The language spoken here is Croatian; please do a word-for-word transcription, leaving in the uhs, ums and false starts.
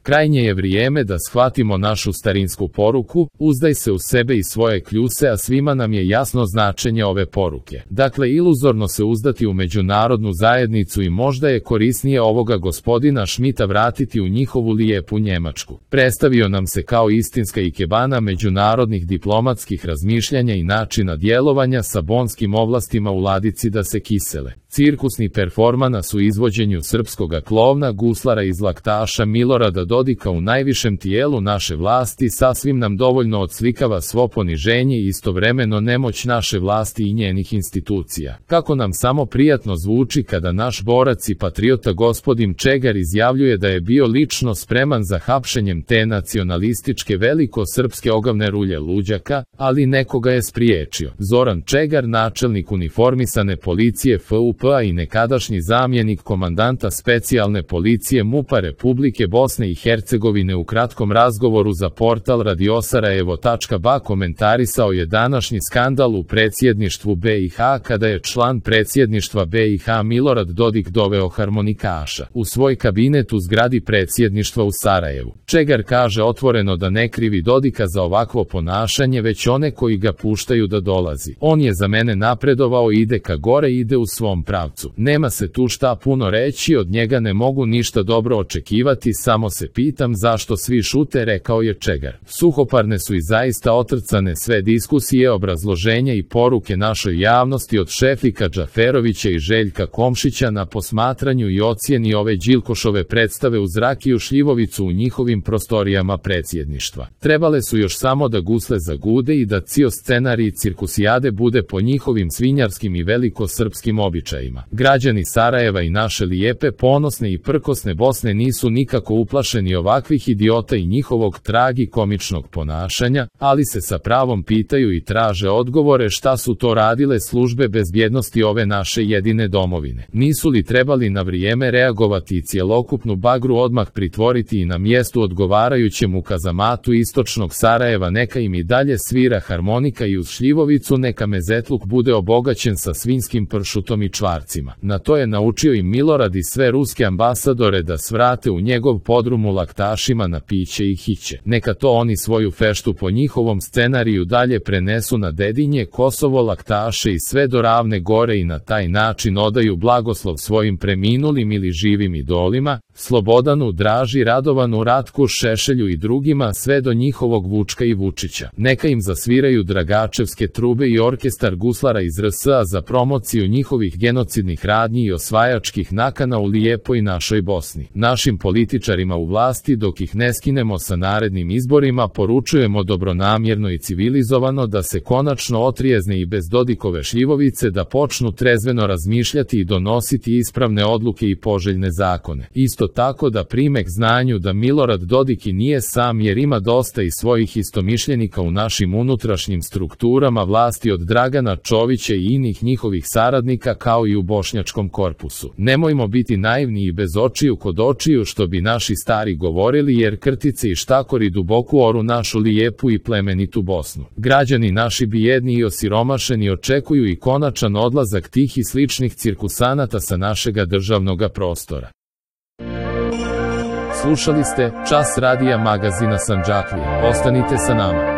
Krajnje je vrijeme da shvatimo našu starinsku poruku, uzdaj se u sebe i svoje kljuse, a svima nam je jasno značenje ove poruke. Dakle, iluzorno se uzdati u međunarodnu zajednicu i možda je korisnije ovoga gospodina Šmita vratiti u njihovu lijepu Njemačku. Predstavio nam se kao istinska ikebana međunarodnih diplomatskih razmišljanja i načina djelovanja sa bonskim ovlastima u ladici da se kisele. Cirkusni performans u izvođenju srpskoga klovna guslara iz laktaša Milorada Dodika u najvišem tijelu naše vlasti sasvim nam dovoljno odslikava svo poniženje i istovremeno nemoć naše vlasti i njenih institucija. Kako nam samo prijatno zvuči kada naš borac i patriota gospodin Čegar izjavljuje da je bio lično spreman za hapšenjem te nacionalističke veliko-srpske ogavne rulje luđaka, ali nekoga je spriječio. Zoran Čegar, načelnik uniformisane policije F U P-a i nekadašnji zamjenik komandanta specijalne policije MUP-a Republike Bosne i Hercegovine u kratkom razgovoru za portal radiosarajevo tačka ba komentarisao je današnji skandal u predsjedništvu B i H kada je član predsjedništva B i H Milorad Dodik doveo harmonikaša u svoj kabinet u zgradi predsjedništva u Sarajevu. Čegar kaže otvoreno da ne krivi Dodika za ovakvo ponašanje, već one koji ga puštaju da dolazi. On je za mene napredovao, ide ka gore, ide u svom pravcu. Nema se tu šta puno reći, od njega ne mogu ništa dobro očekivati, samo se pitam zašto svi šute, rekao je Čegar. Suhoparne su i zaista otrcane sve diskusije, obrazloženja i poruke našoj javnosti od Šefika Džaferovića i Željka Komšića na posmatranju i ocjeni ove Đilkošove predstave uz Rakiju Šljivovicu u njihovim prostorijama predsjedništva. Trebale su još samo da gusle zagude i da cio scenarij cirkusijade bude po njihovim svinjarskim i velikosrpskim običajima. Građani Sarajeva i naše lijepe, ponosne i prkosne Bosne nisu nikako uplašeni ovakvih idiota i njihovog tragikomičnog ponašanja, ali se sa pravom pitaju i traže odgovore šta su to radile službe bezbjednosti ove naše jedine domovine. Nisu li trebali na vrijeme reagovati i cjelokupnu bagru odmah pritvoriti i na mjestu odgovarajućem u kazamatu istočnog Sarajeva neka im i dalje svira harmonika i uz Šljivovicu neka mezetluk bude obogaćen sa svinjskim pršutom i čvarcima. Na to je naučio i Milorad i sve ruske ambasadore da svrate u njegov podrum u laktašima na piće i hiće. Neka to oni svoju feštu po njihovom scenariju dalje prenesu na Dedinje, Kosovo, laktaše i sve do Ravne Gore i na taj način odaju blagoslov svojim preminulim ili živim idolima, Slobodanu, Draži, Radovanu, Ratku, Šešelju i drugima sve do njihovog Vučka i Vučića. Neka im zasviraju Dragačevske trube i orkestar guslara iz R S A za promociju njihovih genocidnih radnji i osvajačkih nakana u lijepoj našoj Bosni. Našim političarima u vlasti, dok ih ne skinemo sa narednim izborima, poručujemo dobronamjerno i civilizovano da se konačno otrijezne i bez Dodikove šljivovice, da počnu trezveno razmišljati i donositi ispravne odluke i poželjne zakone. Isto tako da prime k znanju da Milorad Dodik i nije sam, jer ima dosta i svojih istomišljenika u našim unutrašnjim strukturama vlasti od Dragana Čovića i inih njihovih saradnika kao i u bošnjačkom korpusu. Nemojmo biti naivni i bez očiju kod očiju, što bi naši stari govorili, jer krtice i štakori duboku oru našu lijepu i plemenitu Bosnu. Građani naši bijedni i osiromašeni očekuju i konačan odlazak tih i sličnih cirkusanata sa našega državnoga prostora. Slušali ste Čas radija magazina Sandžaklije. Ostanite sa nama.